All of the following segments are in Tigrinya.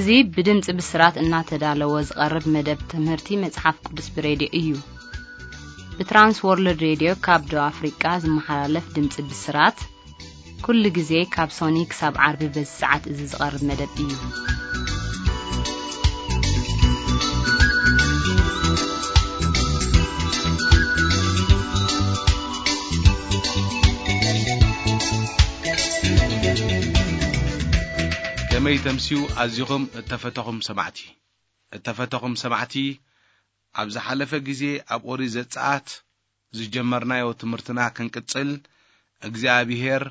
እዚ ብድምጺ ብስራት እናተዳለወ ዝቐርብ መደብ ትምህርቲ መጽሓፍ ቅዱስ ብሬድዮ እዩ። ብትራንስ ወርልድ ሬድዮ ካብ ደቡብ ኣፍሪቃ ዝመሓላለፍ ድምጺ ብስራት፣ ኩሉ ግዜ ካብ ሶኒ ክሳብ ዓርቢ በዚ ሰዓት እዚ ዝቐርብ መደብ እዩ። ከመይ ተምስዩ ኣዚኹም እተፈተኹም ሰማዕቲ። እተፈተኹም ሰማዕቲ፣ ኣብ ዝሓለፈ ግዜ ኣብ ኦሪት ዘጸኣት ዝጀመርናዮ ትምህርትና ክንቅጽል፣ እግዚኣብሄር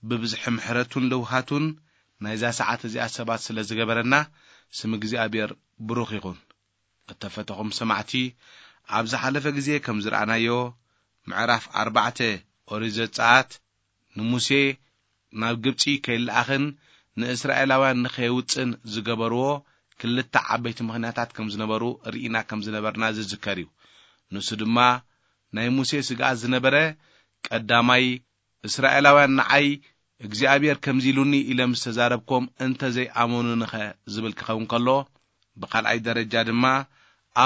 ብብዝሒ ምሕረቱን ለውሃቱን ናይዛ ሰዓት እዚኣ ሰባት ስለ ዝገበረና፣ ስም እግዚኣብሄር ብሩኽ ይኹን። እተፈተኹም ሰማዕቲ፣ ኣብ ዝሓለፈ ግዜ ከም ዝረኣናዮ፣ ምዕራፍ ኣርባዕተ ኦሪት ዘጸኣት ንሙሴ ናብ ግብጺ ከይለኣኽን ንእስራኤላውያን ንኸየውጽእን ዝገበርዎ ክልተ ዓበይቲ ምኽንያታት ከም ዝነበሩ ርኢና ከም ዝነበርና ዝዝከር እዩ። ንሱ ድማ ናይ ሙሴ ስግኣት ዝነበረ፣ ቀዳማይ፣ እስራኤላውያን ንዓይ እግዚኣብሔር ከምዚ ኢሉኒ ኢለ ምስ ተዛረብኮም እንተ ዘይኣመኑንኸ ዝብል ክኸውን ከሎ፣ ብኻልኣይ ደረጃ ድማ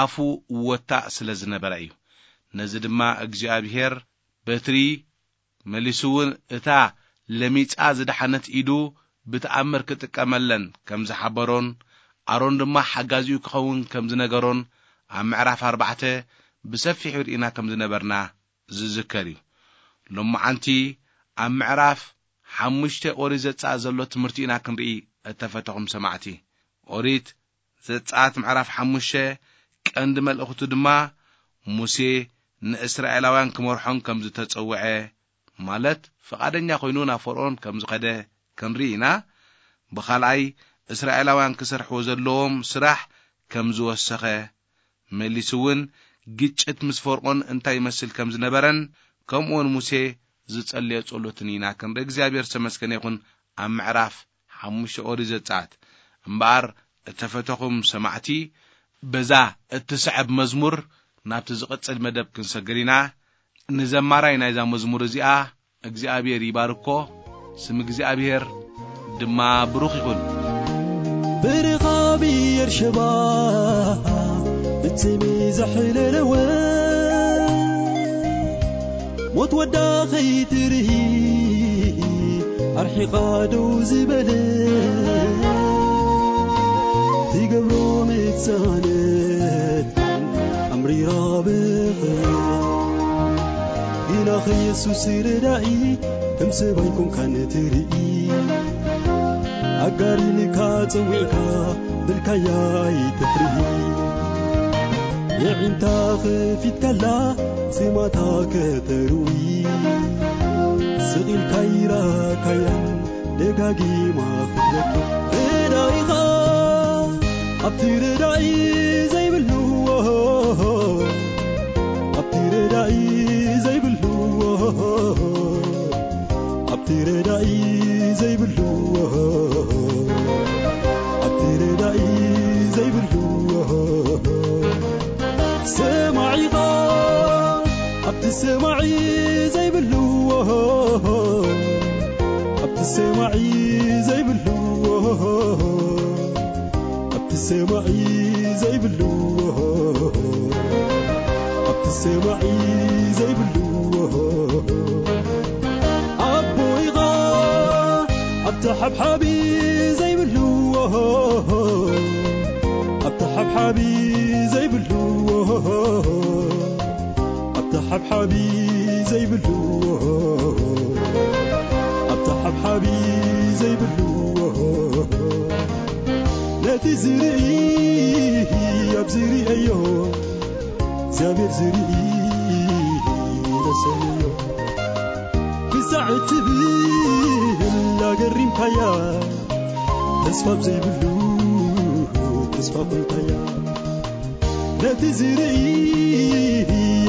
ኣፉ ወታእ ስለ ዝነበረ እዩ። ነዚ ድማ እግዚኣብሔር በትሪ መሊሱ እውን እታ ለሚጻ ዝደሓነት ኢዱ ብተኣምር ክጥቀመለን ከም ዝሓበሮን፣ ኣሮን ድማ ሓጋዚኡ ክኸውን ከም ዝነገሮን ኣብ ምዕራፍ ኣርባዕተ ብሰፊሑ ርኢና ከም ዝነበርና ዝዝከር እዩ። ሎማዓንቲ ኣብ ምዕራፍ ሓሙሽተ ኦሪት ዘጸኣት ዘሎ ትምህርቲ ኢና ክንርኢ እተፈተኹም ሰማዕቲ። ኦሪት ዘጸኣት ምዕራፍ ሓሙሽተ ቀንዲ መልእኽቱ ድማ ሙሴ ንእስራኤላውያን ክመርሖም ከም ዝተጸውዐ፣ ማለት ፍቓደኛ ኮይኑ ናብ ፈርኦን ከም ዝኸደ ክንርኢ ኢና። ብኻልኣይ፣ እስራኤላውያን ክሰርሕዎ ዘለዎም ስራሕ ከም ዝወሰኸ፣ መሊሱ እውን ግጭት ምስ ፈርኦን እንታይ ይመስል ከም ዝነበረን፣ ከምኡውን ሙሴ ዝጸለዮ ጸሎትን ኢና ክንርኢ። እግዚኣብሔር ዝተመስገነ ይኹን። ኣብ ምዕራፍ ሓሙሽተ ኦሪት ዘጸኣት። እምበኣር እተፈተኹም ሰማዕቲ፣ በዛ እትስዕብ መዝሙር ናብቲ ዝቕጽል መደብ ክንሰግር ኢና። ንዘማራይ ናይዛ መዝሙር እዚኣ እግዚኣብሔር ይባርኮ፣ ስም እግዚኣብሔር ድማ ብሩኽ ይኹን። ብርኻ ብኤርሸባ ብትሚ ዘሕለለወ፣ ሞት ወዳ ኸይትርኢ ኣርሒቓ ደው ዝበለ፣ ትገብሮ ምትሳነት ኣምሪራ ብኽብሪ። ግና ኸየሱስ ረዳኢ ከም ሰብ ኣይኮንካን ትርኢ። ኣጋር ኢልካ ጸዊዕካ ብልካያ ኣይትፍርሂ። የዒንታ ኸፊትካላ ስማታ ከተርዊ። ስቕ ኢልካ ይራካያን ደጋጊማ ክትረኪ። ረዳኢኻ ኣብቲ ረዳኢ ዘይብሉ፣ ኣብቲ ረዳኢ ዘይብሉ፣ ኣብቲ ረዳኢ ዘይብሉ፣ ኣብቲ ረዳኢ ዘይብሉ ሰማዒኻ፣ ኣብቲ ሰማዒ ዘይብሉ፣ ኣብቲ ሰማዒ ዘይብሉ፣ ኣብቲ ሰማዒ ዘይብሉ፣ ኣብቲ ሰማዒ ዘይብሉ ኣቦይኻ፣ ኣብቲ ሓብሓቢ ዘይብሉ፣ ኣብቲ ሓብሓቢ ዘይብሉ፣ ኣብቲ ሓብሓቢ ዘይብሉ፣ ኣብቲ ሓብሓቢ ዘይብሉ፣ ነቲ ዝርኢ ኣብ ዝርእዮ፣ እግዚኣብሔር ዝርኢ ለሰዮ። ክሳዕ እትብል ኣገሪምካያ፣ ተስፋ ኣብ ዘይብሉ ተስፋ ኮይንካያ። ነቲ ዝርኢ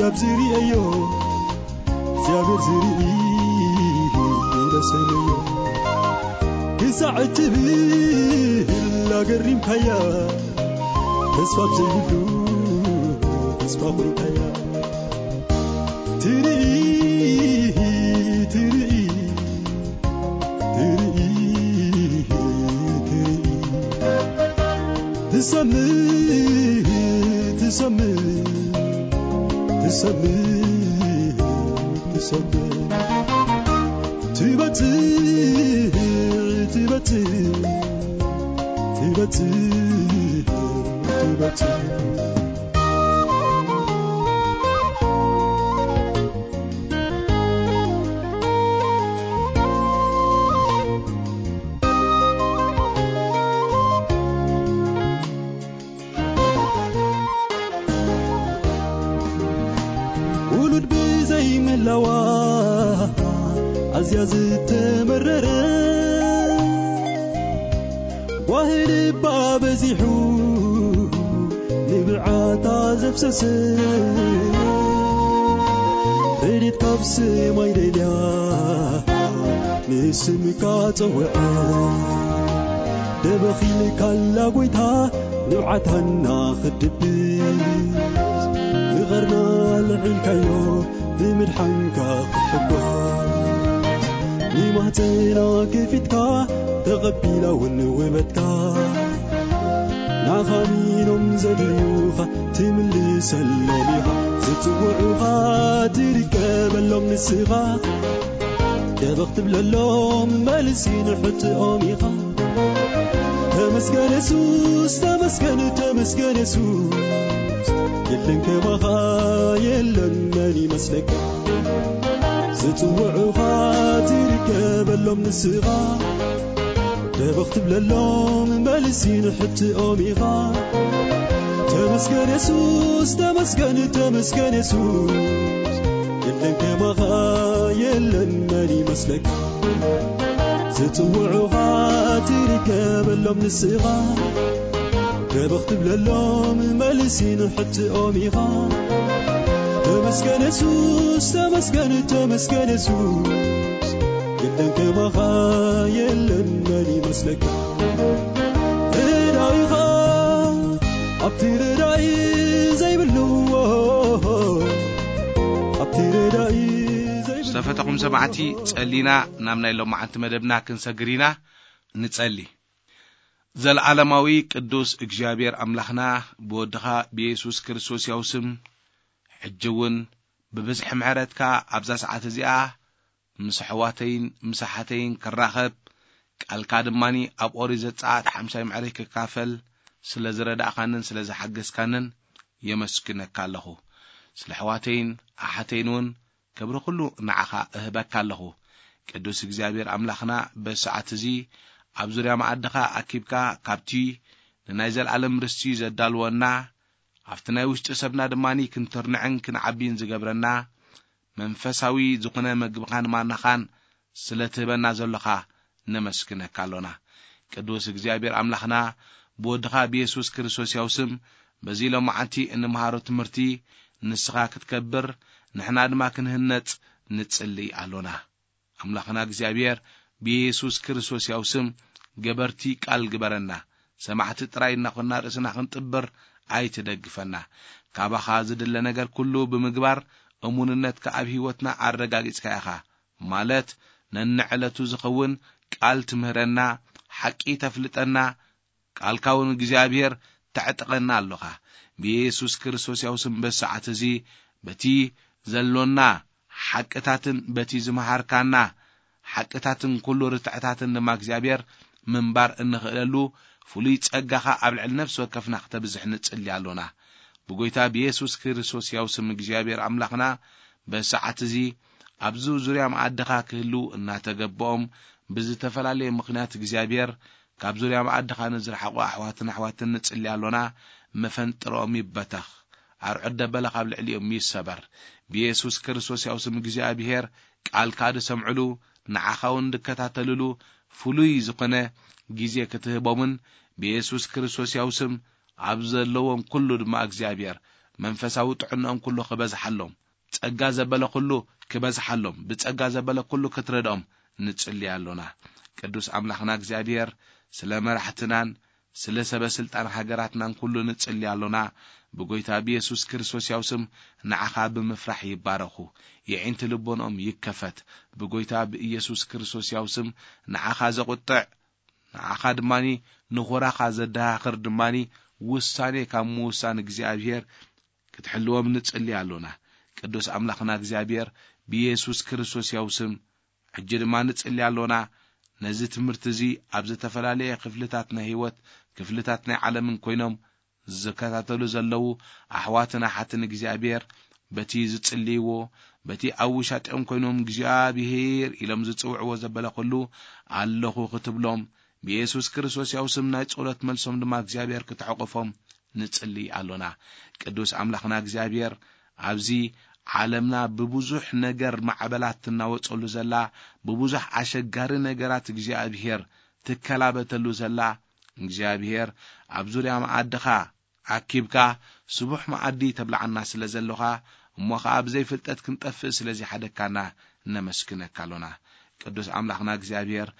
ኣብ ዝርእዮ፣ እግዚኣብሔር ዝርኢ ለሰዮ። ክሳዕ እትብል ኣገሪምካያ፣ ተስፋ ኣብ ዘይብሉ ተስፋ ኮይንካያ። ትርኢ፣ ትርኢ፣ ትርኢ፣ ትርኢ። ትሰምዕ፣ ትሰምዕ፣ ትሰምዕ፣ ትሰምዕ። ትበጽሕ፣ ትበጽሕ፣ ትበጽሕ፣ ትበጽሕ። ውሉድ ብዘይምህላዋ ኣዝያ ዝተመረረ፣ ጓሂ ልባ በዚሑ ንብዓታ ዘፍሰሰ፣ ረድኤት ካብ ሰማይ ደልያ ንስምካ ጸውዐ። ደበኺልካላ ጎይታ ንብዓታና ክድብስ፣ ንቐርና ልዒልካዮ ብምድሓንካ ክትሕጎስ። ንማህፀና ከፊትካ ተቐቢላ እውን ውበትካ፣ ንዓኻ ኣሚኖም ዘድልዩኻ ትምልሰሎም ኢኻ። ዝጽውዑኻ ትርከበሎም ንስኻ፣ ደበኽ ትብለሎም መልሲ ንሕትኦም ኢኻ። ተመስገን የሱስ፣ ተመስገን፣ ተመስገን የሱስ፣ የለን ከማኻ፣ የለን መን ይመስለካ። ዝጽውዑኻ ትርከበሎም ንስኻ፣ ደበኽ ትብለሎም መልሲ ንሕትኦም ኢኻ። ተመስገን የሱስ፣ ተመስገን፣ ተመስገን የሱስ፣ የለን ከማኻ፣ የለን መን ይመስለካ። ዝጽውዑኻ ትርከበሎም ንስኻ፣ ደበኽ ትብለሎም መልሲ ንሕትኦም ኢኻ። ተመስገን የሱስ፣ ተመስገን፣ ተመስገን የሱስ፣ የለን ከማኻ፣ የለን መን ይመስለካ። ረዳኢኻ ኣብቲ ረዳኢ ዘይብሉ፣ ኣብቲ ረዳኢ ዘይብሉ። ዝተፈተኹም ሰማዕቲ፣ ጸሊና ናብ ናይ ሎማዓንቲ መደብና ክንሰግር ኢና። ንጸሊ። ዘለዓለማዊ ቅዱስ እግዚኣብሔር ኣምላኽና፣ ብወድኻ ብየሱስ ክርስቶስ ያው ስም፣ ሕጂ እውን ብብዝሒ ምሕረትካ ኣብዛ ሰዓት እዚኣ ምስ ኣሕዋተይን ምስ ኣሓተይን ክራኸብ፣ ቃልካ ድማኒ ኣብ ኦሪት ዘጸኣት ሓምሳይ ምዕራፍ ክካፈል ስለ ዝረዳእካንን ስለ ዝሓገዝካንን የመስግነካ ኣለኹ። ስለ ኣሕዋተይን ኣሓተይን እውን ክብሪ ኩሉ ንዓኻ እህበካ ኣለኹ። ቅዱስ እግዚኣብሔር ኣምላኽና፣ በዚ ሰዓት እዚ ኣብ ዙርያ መኣድኻ ኣኪብካ፣ ካብቲ ንናይ ዘለኣለም ርስቲ ዘዳልወና፣ ኣብቲ ናይ ውሽጢ ሰብና ድማኒ ክንትርንዕን ክንዓቢን ዝገብረና፣ መንፈሳዊ ዝኾነ መግብኻን ማናኻን ስለ ትህበና ዘሎኻ ነመስግነካ ኣሎና። ቅዱስ እግዚኣብሔር ኣምላኽና፣ ብወድኻ ብየሱስ ክርስቶስ ያው ስም፣ በዚ ሎማዓንቲ እንምሃሮ ትምህርቲ ንስኻ ክትከብር፣ ንሕና ድማ ክንህነጽ ንጽሊ ኣሎና። ኣምላኽና እግዚኣብሔር፣ ብየሱስ ክርስቶስ ያው ስም ገበርቲ ቃል ግበረና። ሰማዕቲ ጥራይ እናኾንና ርእስና ክንጥብር ኣይትደግፈና። ካባኻ ዝድለ ነገር ኩሉ ብምግባር እሙንነትካ ኣብ ህይወትና ኣረጋጊጽካ ኢኻ። ማለት ነንዕለቱ ዝኸውን ቃል ትምህረና፣ ሓቂ ተፍልጠና፣ ቃልካ እውን እግዚኣብሔር ተዕጥቀና ኣሎኻ። ብየሱስ ክርስቶስ ያው ስም በዚ ሰዓት እዚ በቲ ዘሎና ሓቅታትን በቲ ዝመሃርካና ሓቅታትን ኩሉ ርትዕታትን ድማ እግዚኣብሔር ምንባር እንኽእለሉ ፍሉይ ጸጋኻ ኣብ ልዕሊ ነፍሲ ወከፍና ክተብዝሕ ንጽሊ ኣሎና። ብጎይታ ብየሱስ ክርስቶስ ያው ስም እግዚኣብሔር ኣምላኽና በዚ ሰዓት እዚ ኣብዚ ዙርያ መኣድኻ ክህልዉ እናተገበኦም ብዝተፈላለየ ምኽንያት እግዚኣብሔር ካብ ዙርያ መኣድኻ ንዝረሓቑ ኣሕዋትን ኣሕዋትን ንጽሊ ኣሎና። መፈንጥሮኦም ይበተኽ፣ ኣርዑት ደበለ ካብ ልዕሊኦም ይሰበር። ብየሱስ ክርስቶስ ያው ስም እግዚኣብሔር ቃልካ ዝሰምዕሉ፣ ንዓኻ እውን ዝከታተልሉ ፍሉይ ዝኾነ ግዜ ክትህቦምን ብየሱስ ክርስቶስ ያው ስም ኣብ ዘለዎም ኩሉ ድማ እግዚኣብሔር መንፈሳዊ ጥዕንኦም ኩሉ ክበዝሓሎም፣ ጸጋ ዘበለ ኩሉ ክበዝሓሎም፣ ብጸጋ ዘበለ ኩሉ ክትረድኦም ንጽሊ ኣሎና። ቅዱስ ኣምላኽና እግዚኣብሔር ስለ መራሕትናን ስለ ሰበ ስልጣን ሃገራትናን ኩሉ ንጽሊ ኣሎና። ብጎይታ ብየሱስ ክርስቶስ ያው ስም ንዓኻ ብምፍራሕ ይባረኹ። የዒንቲ ልቦንኦም ይከፈት። ብጎይታ ብኢየሱስ ክርስቶስ ያው ስም ንዓኻ ዘቑጥዕ፣ ንዓኻ ድማኒ ንኹራኻ ዘደሃኽር ድማኒ ውሳኔ ካብ ምውሳን እግዚኣብሔር ክትሕልዎም ንጽሊ ኣሎና። ቅዱስ ኣምላኽና እግዚኣብሔር ብየሱስ ክርስቶስ ያው ስም ሕጂ ድማ ንጽሊ ኣሎና። ነዚ ትምህርቲ እዚ ኣብ ዝተፈላለየ ክፍልታት ናይ ህይወት፣ ክፍልታት ናይ ዓለምን ኮይኖም ዝከታተሉ ዘለዉ ኣሕዋትን ኣሓትን እግዚኣብሔር በቲ ዝጽልይዎ፣ በቲ ኣብ ውሻጢኦም ኮይኖም እግዚኣብሔር ኢሎም ዝጽውዕዎ ዘበለ ኩሉ ኣለኹ ክትብሎም፣ ብየሱስ ክርስቶስ ያው ስም ናይ ጸሎት መልሶም ድማ እግዚኣብሔር ክትዕቕፎም ንጽሊ ኣሎና። ቅዱስ ኣምላኽና እግዚኣብሔር ኣብዚ ዓለምና ብብዙሕ ነገር ማዕበላት ትናወጸሉ ዘላ፣ ብብዙሕ ኣሸጋሪ ነገራት እግዚኣብሔር ትከላበተሉ ዘላ፣ እግዚኣብሔር ኣብ ዙርያ መኣድኻ ኣኪብካ ስቡሕ መኣዲ ተብልዓና ስለ ዘለኻ፣ እሞ ኸዓ ብዘይ ፍልጠት ክንጠፍእ ስለ ዘይሓደግካና ነመስግነካ ኣሎና። ቅዱስ ኣምላኽና እግዚኣብሔር፣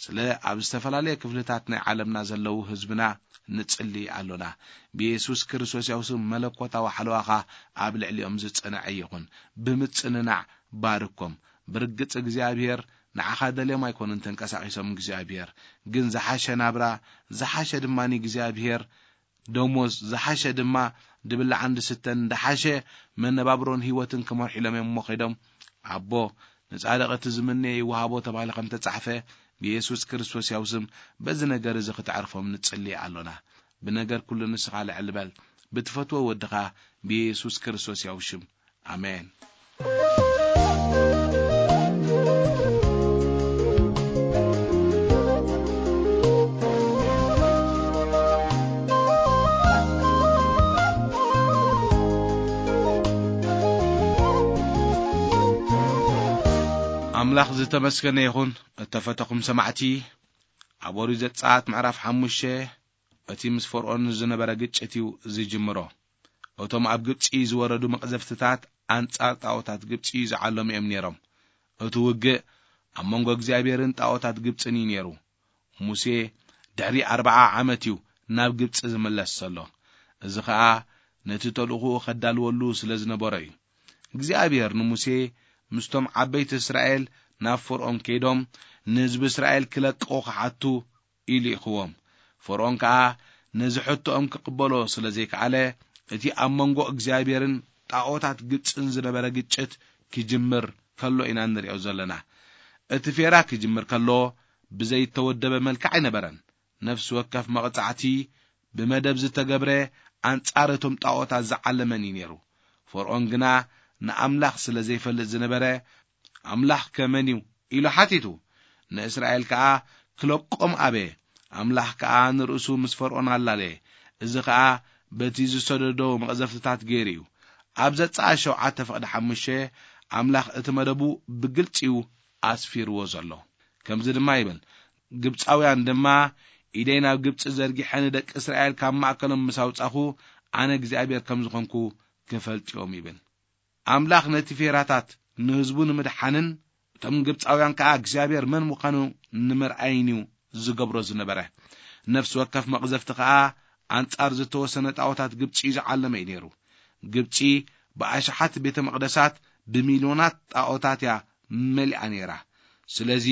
ስለ ኣብ ዝተፈላለየ ክፍልታት ናይ ዓለምና ዘለዉ ህዝብና ንጽሊ ኣሎና። ብየሱስ ክርስቶስ ያው ስም መለኮታዊ ሓለዋኻ ኣብ ልዕሊኦም ዝጸንዐ ይኹን። ብምጽንናዕ ባርኮም። ብርግጽ እግዚኣብሔር ንዓኻ ደልዮም ኣይኮኑን ተንቀሳቒሶም እግዚኣብሔር፣ ግን ዝሓሸ ናብራ፣ ዝሓሸ ድማ እግዚኣብሔር ደሞዝ፣ ዝሓሸ ድማ ድብላዕን ድስተን፣ ዝሓሸ መነባብሮን ህይወትን ክመርሑ ኢሎም እዮም እሞ ከይዶም፣ ኣቦ፣ ንጻድቕ እቲ ዝምነዮ ይወሃቦ ተባሂሉ ከም ተጻሕፈ፣ ብየሱስ ክርስቶስ ያው ስም በዚ ነገር እዚ ክተዕርፎም ንጽሊ ኣሎና። ብነገር ኩሉ ንስኻ ልዕል በል፣ ብትፈትዎ ወድኻ ብየሱስ ክርስቶስ ያው ሽም። ኣሜን። ኣምላኽ ዝተመስገነ ይኹን። እተፈተኹም ሰማዕቲ፣ ኣብ ኦሪት ዘጸኣት ምዕራፍ ሓሙሽተ፣ እቲ ምስ ፈርኦን ዝነበረ ግጭት እዩ ዝጅምሮ። እቶም ኣብ ግብጺ ዝወረዱ መቕዘፍትታት ኣንጻር ጣኦታት ግብጺ ዝዓለሙ እዮም ነይሮም። እቲ ውግእ ኣብ መንጎ እግዚኣብሔርን ጣኦታት ግብጽን እዩ ነይሩ። ሙሴ ድሕሪ ኣርብዓ ዓመት እዩ ናብ ግብጺ ዝምለስ ዘሎ። እዚ ኸኣ ነቲ ተልእኾኡ ኸዳልወሉ ስለ ዝነበሮ እዩ። እግዚኣብሔር ንሙሴ፣ "ምስቶም ዓበይቲ እስራኤል ናብ ፈርኦን ከይዶም፣ ንህዝቢ እስራኤል ክለቅቑ ክሓቱ" ኢሉ ይእኽዎም። ፈርኦን ከኣ ነዚ ሕቶኦም ክቕበሎ ስለ ዘይከኣለ፣ እቲ ኣብ መንጎ እግዚኣብሔርን ጣኦታት ግብጽን ዝነበረ ግጭት ክጅምር ከሎ ኢና እንርእዮ ዘለና። እቲ ፌራ ክጅምር ከሎ ብዘይተወደበ መልክዕ ኣይነበረን። ነፍሲ ወከፍ መቕጻዕቲ ብመደብ ዝተገብረ ኣንጻር እቶም ጣኦታት ዝዓለመን እዩ ነይሩ። ፈርኦን ግና ንኣምላኽ ስለ ዘይፈልጥ ዝነበረ፣ "ኣምላኽ ከ መን እዩ?" ኢሉ ሓቲቱ። ንእስራኤል ከኣ ክለቆም ኣበየ። ኣምላኽ ከኣ ንርእሱ ምስ ፈርኦን ኣላለየ። እዚ ኸኣ በቲ ዝሰደዶ መቕዘፍትታት ገይሩ እዩ። ኣብ ዘጸኣት ሸውዓተ ፍቕዲ ሓሙሽተ ኣምላኽ እቲ መደቡ ብግልጺ እዩ ኣስፊርዎ ዘሎ። ከምዚ ድማ ይብል፣ "ግብጻውያን ድማ ኢደይ ናብ ግብጺ ዘርጊሐ ንደቂ እስራኤል ካብ ማእከሎም ምስ ኣውጻኹ፣ ኣነ እግዚኣብሔር ከም ዝኾንኩ ክፈልጡ እዮም" ይብል። ኣምላኽ ነቲ ፌራታት ንህዝቡ ንምድሓንን እቶም ግብጻውያን ከኣ እግዚኣብሔር መን ምዃኑ ንምርኣይን እዩ ዝገብሮ ዝነበረ። ነፍሲ ወከፍ መቕዘፍቲ ከኣ ኣንጻር ዝተወሰነ ጣኦታት ግብጺ እዩ ዝዓለመ እዩ ነይሩ። ግብጺ ብኣሽሓት ቤተ መቕደሳት ብሚልዮናት ጣኦታት እያ መሊኣ ነይራ። ስለዚ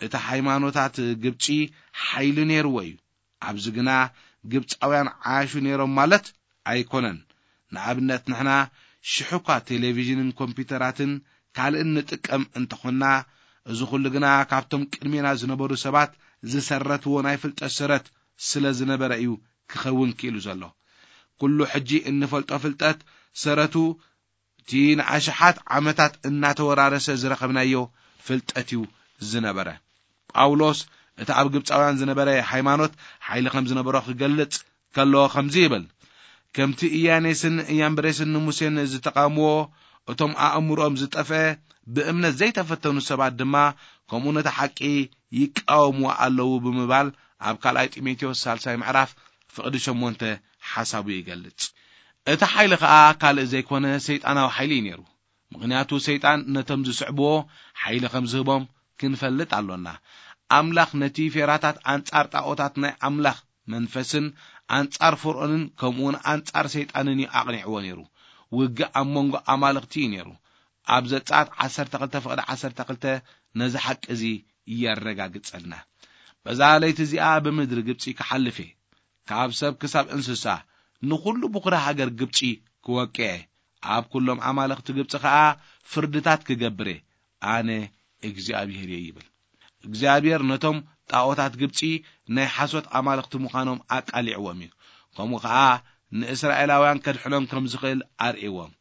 እቲ ሃይማኖታት ግብጺ ሓይሊ ነይርዎ እዩ። ኣብዚ ግና ግብጻውያን ዓያሹ ነይሮም ማለት ኣይኮነን። ንኣብነት ንሕና ሽሕ እኳ ቴሌቪዥንን ኮምፒውተራትን ካልእን ንጥቀም እንተኾንና፣ እዚ ኩሉ ግና ካብቶም ቅድሜና ዝነበሩ ሰባት ዝሰረትዎ ናይ ፍልጠት ሰረት ስለ ዝነበረ እዩ ክኸውን ክኢሉ ዘሎ። ኩሉ ሕጂ እንፈልጦ ፍልጠት ሰረቱ እቲ ንኣሽሓት ዓመታት እናተወራረሰ ዝረኸብናዮ ፍልጠት እዩ ዝነበረ። ጳውሎስ እቲ ኣብ ግብጻውያን ዝነበረ ሃይማኖት ሓይሊ ከም ዝነበሮ ክገልጽ ከሎ ከምዚ ይብል፣ "ከምቲ ኢያኔስን ኢያምብሬስን ንሙሴን ዝተቓወምዎ፣ እቶም ኣእምሮኦም ዝጠፍአ ብእምነት ዘይተፈተኑ ሰባት ድማ ከምኡ ነቲ ሓቂ ይቃወምዎ ኣለዉ" ብምባል ኣብ ካልኣይ ጢሞቴዎስ ሳልሳይ ምዕራፍ ፍቕዲ ሸሞንተ ሓሳቡ ይገልጽ። እቲ ሓይሊ ኸኣ ካልእ ዘይኮነ ሰይጣናዊ ሓይሊ እዩ ነይሩ። ምኽንያቱ ሰይጣን ነቶም ዝስዕብዎ ሓይሊ ከም ዝህቦም ክንፈልጥ ኣሎና። ኣምላኽ ነቲ ፌራታት ኣንጻር ጣኦታት ናይ ኣምላኽ መንፈስን ኣንጻር ፈርኦንን ከምኡውን ኣንጻር ሰይጣንን እዩ ኣቕኒዕዎ ነይሩ። ውግእ ኣብ መንጎ ኣማልኽቲ እዩ ነይሩ። ኣብ ዘጸኣት ዓሰርተ ክልተ ፍቕዲ ዓሰርተ ክልተ ነዚ ሓቂ እዚ የረጋግጸልና። "በዛ ለይቲ እዚኣ ብምድሪ ግብጺ ክሓልፍ እየ፣ ካብ ሰብ ክሳብ እንስሳ፣ ንኹሉ ብኹሪ ሃገር ግብጺ ክወቅየ፣ ኣብ ኩሎም ኣማልኽቲ ግብጺ ኸኣ ፍርድታት ክገብር እየ፣ ኣነ እግዚኣብሔር እየ ይብል። እግዚኣብሔር ነቶም ጣዖታት ግብጺ ናይ ሓሶት ኣማልኽቲ ምዃኖም ኣቃሊዕዎም እዩ። ከምኡ ኸኣ ንእስራኤላውያን ከድሕኖም ከም ዝኽእል ኣርእዎም።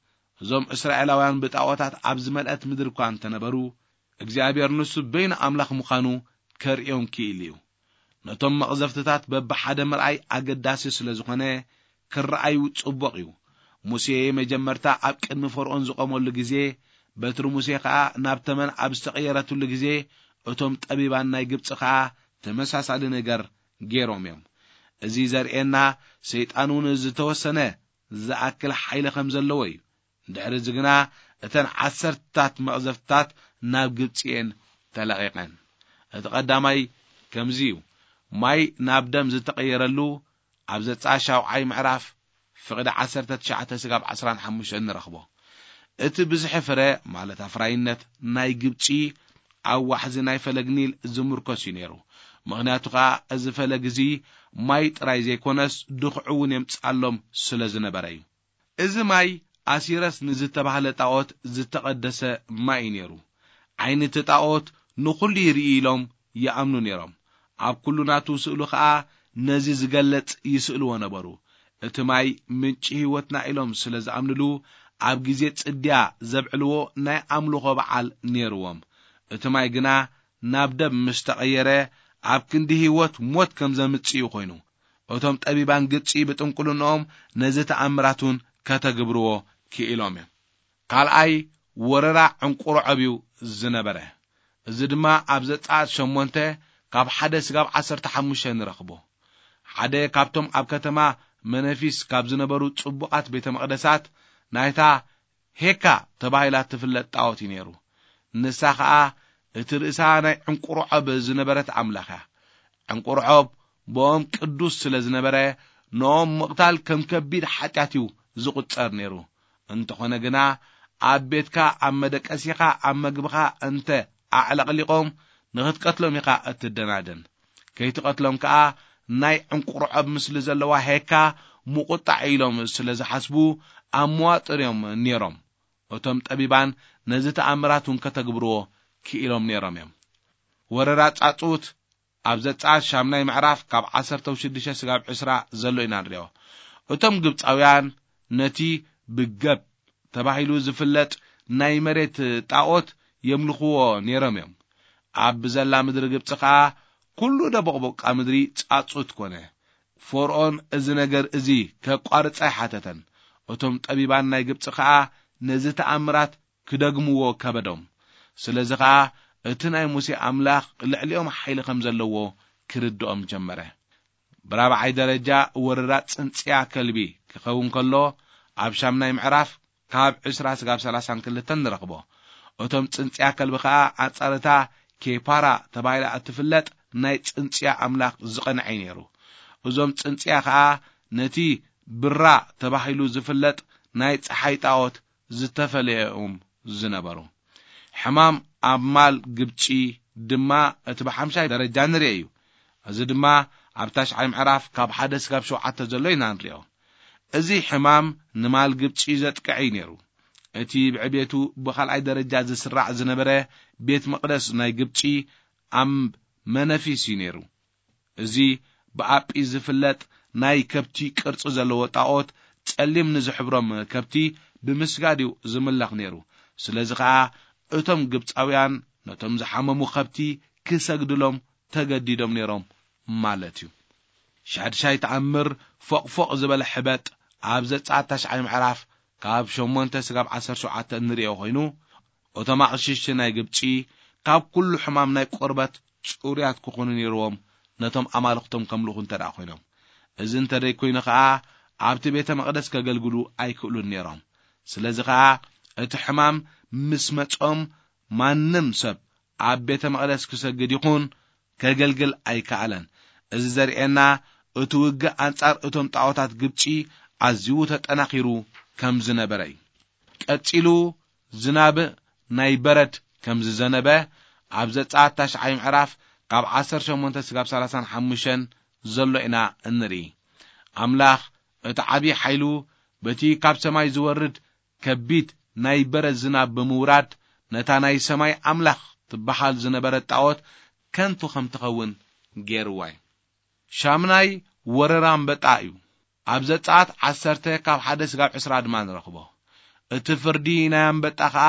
እዞም እስራኤላውያን ብጣዖታት ኣብ ዝመልአት ምድሪ እኳ እንተነበሩ፣ እግዚኣብሔር ንሱ በይኑ ኣምላኽ ምዃኑ ከርእዮም ክኢሉ እዩ። ነቶም መቕዘፍትታት በብሓደ ምርኣይ ኣገዳሲ ስለ ዝኾነ፣ ክረኣዩ ጽቡቕ እዩ። ሙሴ መጀመርታ ኣብ ቅድሚ ፈርኦን ዝቖመሉ ግዜ፣ በትሪ ሙሴ ኸኣ ናብ ተመን ኣብ ዝተቐየረትሉ ግዜ፣ እቶም ጠቢባን ናይ ግብጺ ኸኣ ተመሳሳሊ ነገር ገይሮም እዮም። እዚ ዘርእየና፣ ሰይጣን እውን ዝተወሰነ ዝኣክል ሓይሊ ከም ዘለዎ እዩ። ድሕሪ እዚ ግና እተን ዓሰርታት መቕዘፍትታት ናብ ግብጺ እየን ተለቒቐን። እቲ ቀዳማይ ከምዚ እዩ። ማይ ናብ ደም ዝተቐየረሉ ኣብ ዘጸኣት ሻውዓይ ምዕራፍ ፍቕዲ ዓሰርተ ትሽዓተ ስጋብ ዓስራን ሓሙሽተን ንረኽቦ። እቲ ብዝሒ ፍረ፣ ማለት ኣፍራይነት፣ ናይ ግብጺ ኣብ ዋሕዚ ናይ ፈለግ ኒል ዝምርኮስ እዩ ነይሩ። ምኽንያቱ ኸኣ እዚ ፈለግ እዚ ማይ ጥራይ ዘይኮነስ ድኹዒ እውን የምጽኣሎም ስለ ዝነበረ እዩ። እዚ ማይ ኣሲረስ ንዝተባህለ ጣዖት ዝተቐደሰ ማይ እዩ ነይሩ። ዓይኒ እቲ ጣዖት ንኹሉ ይርኢ ኢሎም ይኣምኑ ነይሮም። ኣብ ኩሉ ናቱ ስእሉ ኸኣ ነዚ ዝገለጽ ይስእልዎ ነበሩ። እቲ ማይ ምንጪ ህይወትና ኢሎም ስለ ዝኣምንሉ፣ ኣብ ግዜ ጽድያ ዘብዕልዎ ናይ ኣምልኾ በዓል ነይርዎም። እቲ ማይ ግና ናብ ደም ምስ ተቐየረ፣ ኣብ ክንዲ ህይወት ሞት ከም ዘምጽእ እዩ ኮይኑ። እቶም ጠቢባን ግብጺ ብጥንቁልንኦም ነዚ ተኣምራት እውን ከተግብርዎ ክኢሎም እዮም። ካልኣይ፣ ወረራ ዕንቁሮ ዕብዩ ዝነበረ። እዚ ድማ ኣብ ዘጸኣት ሸሞንተ ካብ ሓደ ስጋብ ዓሰርተ ሓሙሽተ ንረኽቦ። ሓደ ካብቶም ኣብ ከተማ መነፊስ ካብ ዝነበሩ ጽቡቓት ቤተ መቕደሳት ናይታ ሄካ ተባሂላ እትፍለጥ ጣዖት እዩ ነይሩ። ንሳ ኸኣ እቲ ርእሳ ናይ ዕንቁርዖብ ዝነበረት ኣምላኽ እያ። ዕንቁርዖብ ብኦም ቅዱስ ስለ ዝነበረ፣ ንኦም ምቕታል ከም ከቢድ ሓጢኣት እዩ ዝቑጸር ነይሩ። እንተኾነ ግና፣ ኣብ ቤትካ፣ ኣብ መደቀሲኻ፣ ኣብ መግብኻ እንተ ኣዕለቕሊቖም፣ ንኽትቀትሎም ኢኻ እትደናደን። ከይትቐትሎም ከኣ፣ ናይ ዕንቁርዖብ ምስሊ ዘለዋ ሄካ ምቑጣዕ ኢሎም ስለ ዝሓስቡ፣ ኣብ መዋጥር እዮም ነይሮም። እቶም ጠቢባን ነዚ ተኣምራት እውን ከተግብርዎ ክኢሎም ነይሮም እዮም። ወረራ ጻጹት ኣብ ዘጸኣት ሻምናይ ምዕራፍ ካብ ዓሰርተ ሽዱሽተ ስጋብ ዕስራ ዘሎ ኢና ንሪኦ። እቶም ግብጻውያን ነቲ ብገብ ተባሂሉ ዝፍለጥ ናይ መሬት ጣዖት የምልኽዎ ነይሮም እዮም። ኣብ ብዘላ ምድሪ ግብጺ ኸኣ ኩሉ ደቦቕቦቃ ምድሪ ጻጹት ኮነ። ፈርኦን እዚ ነገር እዚ ከቋርጽ ኣይሓተተን። እቶም ጠቢባን ናይ ግብጺ ኸኣ ነዚ ተኣምራት ክደግምዎ ከበዶም። ስለዚ ኸኣ እቲ ናይ ሙሴ ኣምላኽ ልዕሊኦም ሓይሊ ከም ዘለዎ ክርድኦም ጀመረ። ብራብዓይ ደረጃ ወረራ ጽንጽያ ከልቢ ክኸውን ከሎ፣ ኣብ ሻምናይ ምዕራፍ ካብ ዕስራ ስጋብ ሰላሳን ክልተን ንረኽቦ። እቶም ጽንጽያ ከልቢ ኸኣ ኣንጻር እታ ኬፓራ ተባሂላ እትፍለጥ ናይ ጽንጽያ ኣምላኽ ዝቐንዐ እዩ ነይሩ። እዞም ጽንጽያ ኸኣ ነቲ ብራ ተባሂሉ ዝፍለጥ ናይ ጸሓይ ጣዖት ዝተፈለየ እዮም ዝነበሩ። ሕማም ኣብ ማል ግብጺ ድማ እቲ ብሓምሻይ ደረጃ ንርኢ እዩ። እዚ ድማ ኣብ ታሽዓይ ምዕራፍ ካብ ሓደ ስጋብ ሸውዓተ ዘሎ ኢና ንሪኦ። እዚ ሕማም ንማል ግብጺ ዘጥቅዕ እዩ ነይሩ። እቲ ብዕቤቱ ብኻልኣይ ደረጃ ዝስራዕ ዝነበረ ቤት መቕደስ ናይ ግብጺ ኣብ መነፊስ እዩ ነይሩ። እዚ ብኣጲ ዝፍለጥ ናይ ከብቲ ቅርጺ ዘለዎ ጣዖት፣ ጸሊም ንዝሕብሮም ከብቲ ብምስጋድ እዩ ዝምለኽ ነይሩ። ስለዚ ኸኣ እቶም ግብጻውያን ነቶም ዝሓመሙ ከብቲ ክሰግድሎም ተገዲዶም ነይሮም ማለት እዩ። ሻድሻይ ተኣምር፣ ፎቕፎቕ ዝበለ ሕበጥ ኣብ ዘጸኣት ታሽዓይ ምዕራፍ ካብ ሸሞንተ ስጋብ ዓሰርተ ሸውዓተ እንርእዮ ኮይኑ፣ እቶም ኣቕሽሽቲ ናይ ግብጺ ካብ ኩሉ ሕማም ናይ ቆርበት ጽሩያት ክኾኑ ነይርዎም፣ ነቶም ኣማልኽቶም ከምልኹ እንተ ደኣ ኮይኖም። እዚ እንተ ደይኮይኑ ኸኣ፣ ኣብቲ ቤተ መቕደስ ከገልግሉ ኣይክእሉን ነይሮም። ስለዚ ኸኣ፣ እቲ ሕማም ምስ መጾም፣ ማንም ሰብ ኣብ ቤተ መቕደስ ክሰግድ ይኹን ከገልግል ኣይከኣለን። እዚ ዘርእየና፣ እቲ ውግእ ኣንጻር እቶም ጣዖታት ግብጺ ኣዝዩ ተጠናኺሩ ከም ዝነበረ እዩ። ቀጺሉ ዝናብ ናይ በረድ ከም ዝዘነበ ኣብ ዘጸኣት ታሽዓይ ምዕራፍ ካብ ዓሰርተ ሸሞንተ ስጋብ ሰላሳን ሓሙሽተን ዘሎ ኢና እንርኢ። ኣምላኽ እቲ ዓቢ ሓይሉ በቲ ካብ ሰማይ ዝወርድ ከቢድ ናይ በረድ ዝናብ ብምውራድ ነታ ናይ ሰማይ ኣምላኽ ትበሃል ዝነበረት ጣዖት ከንቱ ከም ትኸውን ገይርዋ እዩ። ሻምናይ ወረራ ኣንበጣ እዩ። ኣብ ዘጸኣት ዓሰርተ ካብ ሓደ ስጋብ ዕስራ ድማ ንረኽቦ። እቲ ፍርዲ ናይ ኣንበጣ ኸኣ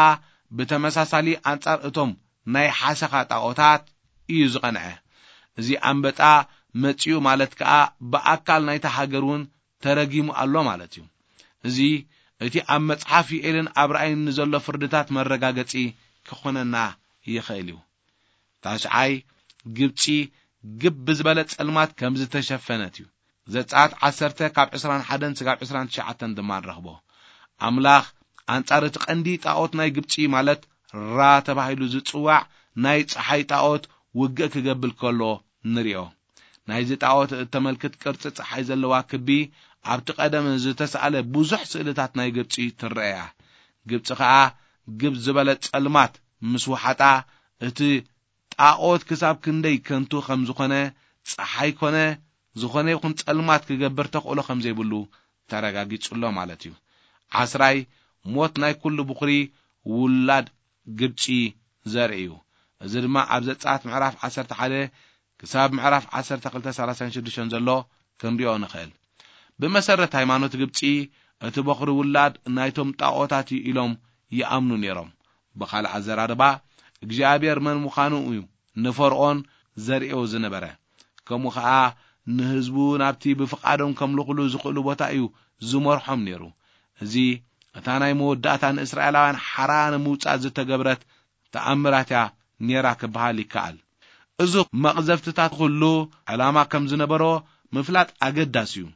ብተመሳሳሊ ኣንጻር እቶም ናይ ሓሰኻ ጣዖታት እዩ ዝቐንዐ። እዚ ኣንበጣ መጺኡ ማለት ከኣ ብኣካል ናይታ ሃገር እውን ተረጊሙ ኣሎ ማለት እዩ። እዚ እቲ ኣብ መጽሓፍ ዩኤልን ኣብ ራእይን ንዘሎ ፍርድታት መረጋገጺ ክኾነና ይኽእል እዩ። ታሽዓይ፣ ግብጺ ግብ ብዝበለ ጸልማት ከም ዝተሸፈነት እዩ። ዘጸኣት ዓሰርተ ካብ ዕስራን ሓደን ስጋብ ዕስራን ትሽዓተን ድማ ንረኽቦ። ኣምላኽ ኣንጻር እቲ ቀንዲ ጣዖት ናይ ግብጺ ማለት ራ ተባሂሉ ዝጽዋዕ ናይ ጸሓይ ጣዖት ውግእ ክገብር ከሎ ንሪኦ። ናይዚ ጣዖት እተመልክት ቅርጺ ጸሓይ ዘለዋ ክቢ ኣብቲ ቀደም ዝተሳእለ ብዙሕ ስእልታት ናይ ግብጺ ትረኣያ። ግብጺ ኸኣ ግብ ዝበለ ጸልማት ምስ ወሓጣ እቲ ጣዖት ክሳብ ክንደይ ከንቱ ከም ዝኾነ፣ ጸሓይ ኮነ ዝኾነ ይኹን ጸልማት ክገብር ተኽእሎ ከም ዘይብሉ ተረጋጊጹ ኣሎ ማለት እዩ። ዓስራይ፣ ሞት ናይ ኩሉ ብኹሪ ውላድ ግብጺ ዘርኢ እዩ። እዚ ድማ ኣብ ዘጸኣት ምዕራፍ ዓሰርተ ሓደ ክሳብ ምዕራፍ ዓሰርተ ክልተ ሰላሳን ሽዱሽተን ዘሎ ክንሪኦ ንኽእል። ብመሰረት ሃይማኖት ግብጺ፣ እቲ በኹሪ ውላድ ናይቶም ጣዖታት እዩ ኢሎም ይኣምኑ ነይሮም። ብኻልእ ኣዘራርባ፣ እግዚኣብሔር መን ምዃኑ እዩ ንፈርዖን ዘርእዮ ዝነበረ። ከምኡ ኸኣ ንህዝቡ ናብቲ ብፍቓዶም ከምልኹሉ ዝኽእሉ ቦታ እዩ ዝመርሖም ነይሩ። እዚ እታ ናይ መወዳእታ ንእስራኤላውያን ሓራ ንምውጻእ ዝተገብረት ተኣምራት እያ ነይራ ክበሃል ይከኣል። እዚ መቕዘፍትታት ኩሉ ዕላማ ከም ዝነበሮ ምፍላጥ ኣገዳሲ እዩ።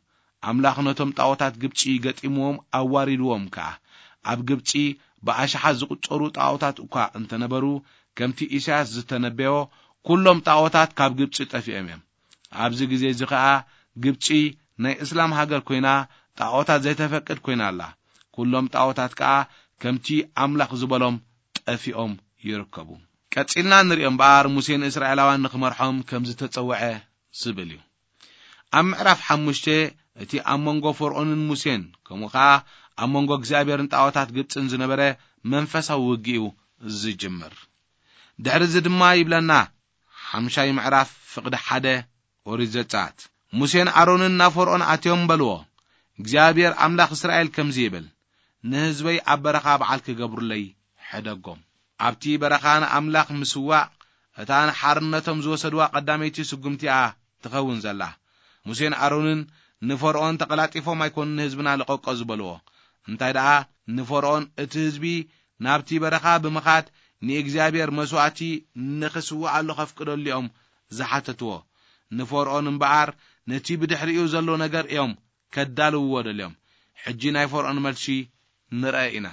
ኣምላኽ ነቶም ጣዖታት ግብጺ ገጢምዎም ኣዋሪድዎም ከኣ። ኣብ ግብጺ ብኣሽሓት ዝቑጸሩ ጣዖታት እኳ እንተነበሩ፣ ከምቲ ኢሳያስ ዝተነበዮ፣ ኩሎም ጣዖታት ካብ ግብጺ ጠፊኦም እዮም። ኣብዚ ግዜ እዚ ኸኣ ግብጺ ናይ እስላም ሃገር ኮይና ጣዖታት ዘይተፈቅድ ኮይና ኣላ። ኩሎም ጣዖታት ከኣ ከምቲ ኣምላኽ ዝበሎም ጠፊኦም ይርከቡ። ቀጺልና ንሪኦ እምበኣር፣ ሙሴ ንእስራኤላውያን ንኽመርሖም ከም ዝተጸውዐ ዝብል እዩ። ኣብ ምዕራፍ ሓሙሽተ እቲ ኣብ መንጎ ፈርዖንን ሙሴን፣ ከምኡ ኸኣ ኣብ መንጎ እግዚኣብሔርን ጣዖታት ግብጽን ዝነበረ መንፈሳዊ ውግእ እዩ ዝጅምር። ድሕሪ እዚ ድማ ይብለና፣ ሓምሻይ ምዕራፍ ፍቕዲ ሓደ ኦሪት ዘጸኣት። ሙሴን ኣሮንን ናብ ፈርዖን ኣትዮም በልዎ፣ እግዚኣብሔር ኣምላኽ እስራኤል ከምዚ ይብል፣ ንህዝበይ ኣብ በረኻ በዓል ክገብሩለይ ሕደጎም። ኣብቲ በረኻ ንኣምላኽ ምስዋእ፣ እታ ንሓርነቶም ዝወሰድዋ ቀዳመይቲ ስጉምቲ እያ ትኸውን ዘላ። ሙሴን ኣሮንን ንፈርዖን ተቐላጢፎም ኣይኮኑን ንህዝብና ልቐቆ ዝበልዎ። እንታይ ደኣ ንፈርዖን እቲ ህዝቢ ናብቲ በረኻ ብምኻድ ንእግዚኣብሔር መስዋእቲ ንኽስውኣሉ ከፍቅደሉ እዮም ዝሓተትዎ። ንፈርዖን እምበኣር ነቲ ብድሕሪኡ ዘሎ ነገር እዮም ከዳልውዎ ደልዮም። ሕጂ ናይ ፈርዖን መልሲ ንርአ ኢና።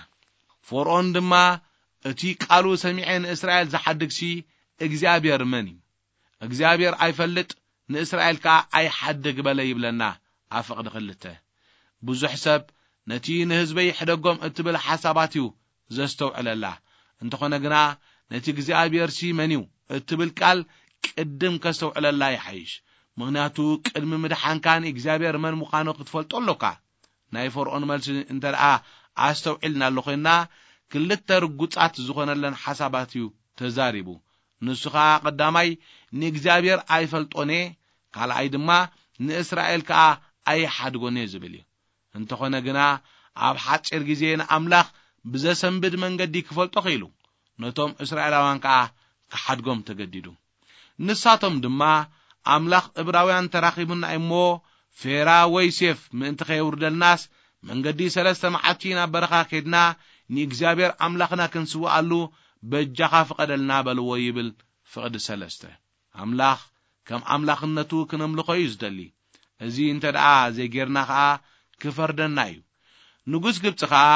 ፈርዖን ድማ፣ "እቲ ቃሉ ሰሚዐ ንእስራኤል ዝሓድግሲ እግዚኣብሔር መን እዩ? እግዚኣብሔር ኣይፈልጥ፣ ንእስራኤል ከኣ ኣይሓድግ በለ" ይብለና ኣብ ፍቕዲ ክልተ። ብዙሕ ሰብ ነቲ ንህዝበይ ሕደጎም እትብል ሓሳባት እዩ ዘስተውዕለላ። እንተኾነ ግና ነቲ እግዚኣብሔርሲ መን እዩ እትብል ቃል ቅድም ከስተውዕለላ ይሓይሽ። ምኽንያቱ ቅድሚ ምድሓንካ ንእግዚኣብሔር መን ምዃኑ ክትፈልጦ ኣሎካ። ናይ ፈርዖን መልሲ እንተ ደኣ ኣስተውዒልናሉ ኮይንና፣ ክልተ ርጉጻት ዝኾነለን ሓሳባት እዩ ተዛሪቡ። ንሱ ኸኣ ቀዳማይ ንእግዚኣብሔር ኣይፈልጦን እየ፣ ካልኣይ ድማ ንእስራኤል ከኣ ኣይሓድጎን እየ ዝብል እዩ። እንተኾነ ግና ኣብ ሓጺር ግዜ ንኣምላኽ ብዘሰንብድ መንገዲ ክፈልጦ ኽኢሉ፣ ነቶም እስራኤላውያን ከኣ ክሓድጎም ተገዲዱ። ንሳቶም ድማ፣ "ኣምላኽ እብራውያን ተራኺቡና እሞ፣ ፌራ ወይ ሴፍ ምእንቲ ኸየውርደልናስ፣ መንገዲ ሰለስተ መዓልቲ ናብ በረኻ ኬድና፣ ንእግዚኣብሔር ኣምላኽና ክንስውኣሉ በጃኻ ፍቐደልና" በልዎ ይብል ፍቕዲ ሰለስተ። ኣምላኽ ከም ኣምላኽነቱ ክነምልኾ እዩ ዝደሊ። እዚ እንተ ደኣ ዘይጌርና ኸኣ ክፈርደና እዩ። ንጉስ ግብጺ ኸኣ፣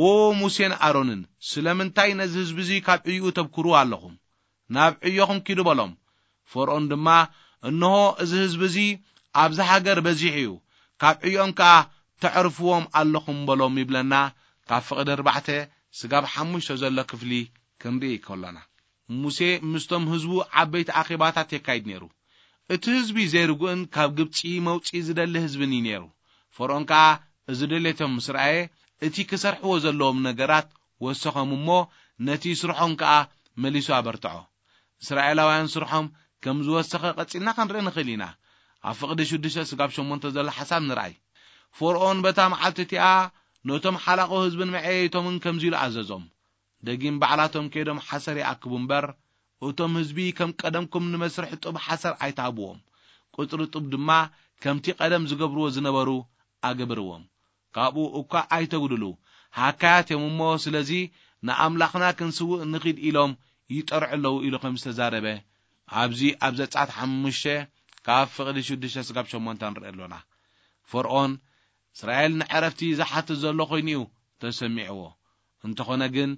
"ዎ ሙሴን ኣሮንን፣ ስለምንታይ ነዚ ህዝቢ እዚ ካብ ዕዩኡ ተብክሩ ኣለኹም? ናብ ዕዮኹም ኪዱ" በሎም። ፈርዖን ድማ፣ "እንሆ እዚ ህዝቢ እዚ ኣብዚ ሃገር በዚሑ እዩ፣ ካብ ዕዮኦም ከኣ ተዕርፍዎም ኣለኹም" በሎም ይብለና። ካብ ፍቕዲ ኣርባዕተ ስጋብ ሓሙሽተ ዘሎ ክፍሊ ክንርኢ ከሎና፣ ሙሴ ምስቶም ህዝቡ ዓበይቲ ኣኼባታት የካይድ ነይሩ። እቲ ህዝቢ ዘይርጉእን ካብ ግብጺ መውጺኢ ዝደሊ ህዝብን እዩ ነይሩ። ፈርኦን ከኣ እዚ ድሌቶም ምስ ረኣየ፣ እቲ ክሰርሕዎ ዘለዎም ነገራት ወሰኾም እሞ፣ ነቲ ስርሖም ከኣ መሊሱ ኣበርትዖ። እስራኤላውያን ስርሖም ከም ዝወሰኸ ቀጺልና ክንርኢ ንኽእል ኢና። ኣብ ፍቕዲ ሽዱሽተ ስጋብ ሸሞንተ ዘሎ ሓሳብ ንርኣይ። ፈርኦን በታ መዓልቲ እቲኣ ነቶም ሓላቑ ህዝብን መዐየይቶምን ከምዚ ኢሉ ኣዘዞም። ደጊም ባዕላቶም ከይዶም ሓሰር ይኣክቡ እምበር፣ እቶም ህዝቢ ከም ቀደምኩም ንመስርሕ ጡብ ሓሰር ኣይትሃብዎም። ቁጽሪ ጡብ ድማ ከምቲ ቀደም ዝገብርዎ ዝነበሩ ኣግብርዎም። ካብኡ እኳ ኣይተጉድሉ። ሃካያት እዮም እሞ፣ ስለዚ ንኣምላኽና ክንስውእ ንኺድ ኢሎም ይጠርዑ ኣለዉ ኢሉ ከም ዝተዛረበ፣ ኣብዚ ኣብ ዘጸኣት ሓሙሽተ ካብ ፍቕዲ ሽዱሽተ ስጋብ ሸሞንተ ንርኢ ኣሎና። ፈርኦን እስራኤል ንዕረፍቲ ዝሓትት ዘሎ ኮይኑ እዩ ተሰሚዕዎ። እንተኾነ ግን፣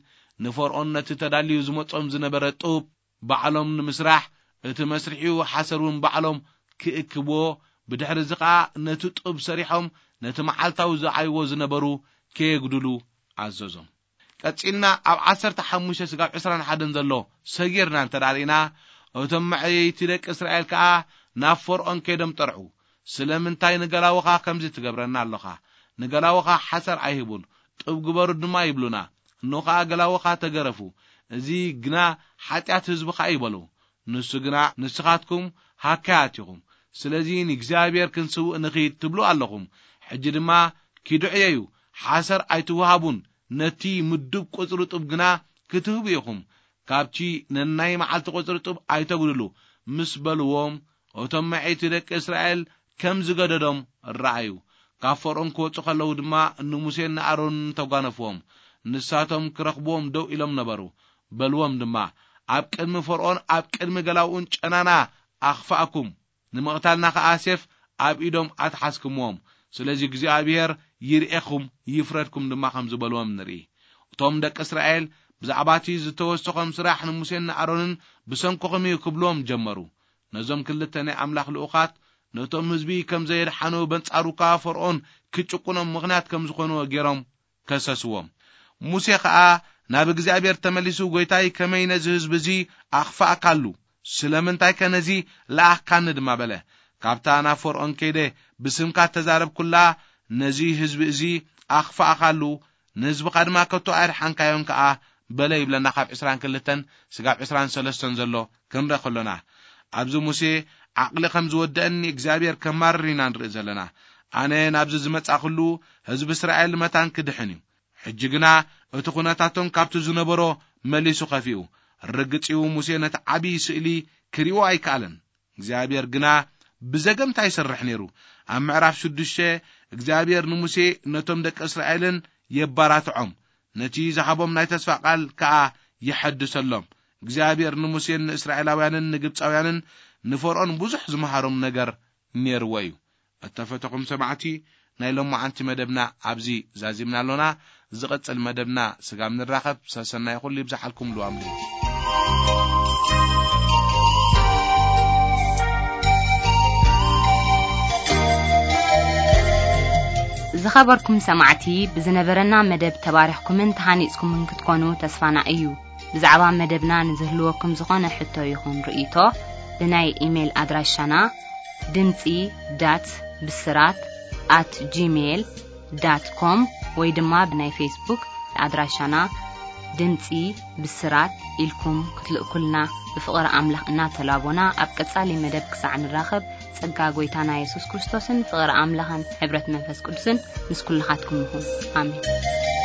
ንፈርኦን ነቲ ተዳልዩ ዝመጾም ዝነበረ ጡብ ባዕሎም ንምስራሕ፣ እቲ መስርሒኡ ሓሰር እውን ባዕሎም ክእክብዎ፣ ብድሕሪ እዚ ኸኣ ነቲ ጡብ ሰሪሖም ነቲ መዓልታዊ ዝዓይዎ ዝነበሩ ከየጉድሉ ኣዘዞም። ቀጺልና ኣብ ዓሰርተ ሓሙሽተ ስጋብ ዕስራን ሓደን ዘሎ ሰጊርና እንተ ደኣ ርኢና፣ እቶም መዐየይቲ ደቂ እስራኤል ከኣ ናብ ፈርኦን ከይዶም ጠርዑ። "ስለምንታይ ንገላውኻ ከምዚ ትገብረና ኣሎኻ? ንገላውኻ ሓሰር ኣይህቡን፣ ጡብ ግበሩ ድማ ይብሉና። እንሆ ኸኣ ገላውኻ ተገረፉ። እዚ ግና ሓጢኣት ህዝብኻ እዩ" በሉ። ንሱ ግና፣ "ንስኻትኩም ሃካያት ኢኹም፣ ስለዚ ንእግዚኣብሔር ክንስውእ ንኺድ ትብሉ ኣለኹም። ሕጂ ድማ ኪዱ ዕየዩ፣ ሓሰር ኣይትውሃቡን፣ ነቲ ምዱብ ቁጽሪ ጡብ ግና ክትህቡ ኢኹም። ካብቲ ነናይ መዓልቲ ቁጽሪ ጡብ ኣይተጉድሉ" ምስ በልዎም፣ እቶም መዐይቲ ደቂ እስራኤል ከም ዝገደዶም ረኣዩ። ካብ ፈርኦን ክወጹ ከለዉ ድማ ንሙሴን ንኣሮንን ተጓነፍዎም። ንሳቶም ክረኽብዎም ደው ኢሎም ነበሩ። በልዎም ድማ፣ "ኣብ ቅድሚ ፈርኦን ኣብ ቅድሚ ገላውኡን ጨናና ኣኽፋእኩም፣ ንምቕታልና ከኣ ሴፍ ኣብ ኢዶም ኣትሓዝኩምዎም። ስለዚ እግዚኣብሔር ይርእየኹም ይፍረድኩም" ድማ ከም ዝበልዎም ንርኢ። እቶም ደቂ እስራኤል ብዛዕባ እቲ ዝተወሰኾም ስራሕ ንሙሴን ንኣሮንን "ብሰንክኹም እዩ" ክብልዎም ጀመሩ። ነዞም ክልተ ናይ ኣምላኽ ልኡኻት፣ ነቶም ህዝቢ ከም ዘየድሓኑ በንጻሩ ከኣ ፈርኦን ክጭቁኖም ምኽንያት ከም ዝኾንዎ ገይሮም ከሰስዎም። ሙሴ ኸኣ ናብ እግዚኣብሔር ተመሊሱ፣ "ጐይታይ፣ ከመይ ነዚ ህዝቢ እዚ ኣኽፋእካሉ? ስለምንታይከ ነዚ ለኣኽካኒ?" ድማ በለ። ካብታ ናብ ፈርኦን ከይደ ብስምካ እተዛረብኩላ፣ "ነዚ ህዝቢ እዚ ኣኽፋእካሉ፣ ንህዝብኻ ድማ ከቶ ኣየድሓንካዮን ከኣ" በለ ይብለና። ካብ ዕስራን ክልተን ስጋብ ዕስራን ሰለስተን ዘሎ ክንርኢ ከሎና፣ ኣብዚ ሙሴ ዓቕሊ ከም ዝወደአኒ እግዚኣብሔር ከማርር ኢና ንርኢ ዘለና። ኣነ ናብዚ ዝመጻእኩሉ ህዝቢ እስራኤል መታን ክድሕን እዩ። ሕጂ ግና እቲ ኩነታቶም ካብቲ ዝነበሮ መሊሱ ከፊኡ። ርግጽ እዩ፣ ሙሴ ነቲ ዓቢ ስእሊ ክርእዮ ኣይከኣለን። እግዚኣብሔር ግና ብዘገምታ ይሰርሕ ነይሩ። ኣብ ምዕራፍ ሽዱሽተ እግዚኣብሔር ንሙሴ ነቶም ደቂ እስራኤልን የባራትዖም፣ ነቲ ዝሃቦም ናይ ተስፋ ቃል ከኣ የሐድሰሎም። እግዚኣብሔር ንሙሴን ንእስራኤላውያንን ንግብጻውያንን ንፈርኦን ብዙሕ ዝመሃሮም ነገር ነይርዎ እዩ። እተፈተኹም ሰማዕቲ፣ ናይ ሎማዓንቲ መደብና ኣብዚ ዛዚምና ኣሎና። ዝቕጽል መደብና ስጋብ ንራኸብ፣ ሰሰናይ ኩሉ ይብዝሓልኩም። ልዋም ዝኸበርኩም ሰማዕቲ፣ ብዝነበረና መደብ ተባሪኽኩምን ተሃኒጽኩምን ክትኮኑ ተስፋና እዩ። ብዛዕባ መደብና ንዝህልወኩም ዝኾነ ሕቶ ይኹን ርእይቶ፣ ብናይ ኢሜይል ኣድራሻና ድምጺ ዳት ብስራት ኣት ጂሜይል ዳት ኮም ወይ ድማ ብናይ ፌስቡክ ኣድራሻና ድምጺ ብስራት ኢልኩም ክትልእኩልና ብፍቕሪ ኣምላኽ እናተላቦና፣ ኣብ ቀጻሊ መደብ ክሳዕ ንራኸብ፣ ጸጋ ጐይታና የሱስ ክርስቶስን ፍቕሪ ኣምላኽን ሕብረት መንፈስ ቅዱስን ምስ ኩልኻትኩም ይኹን። ኣሜን።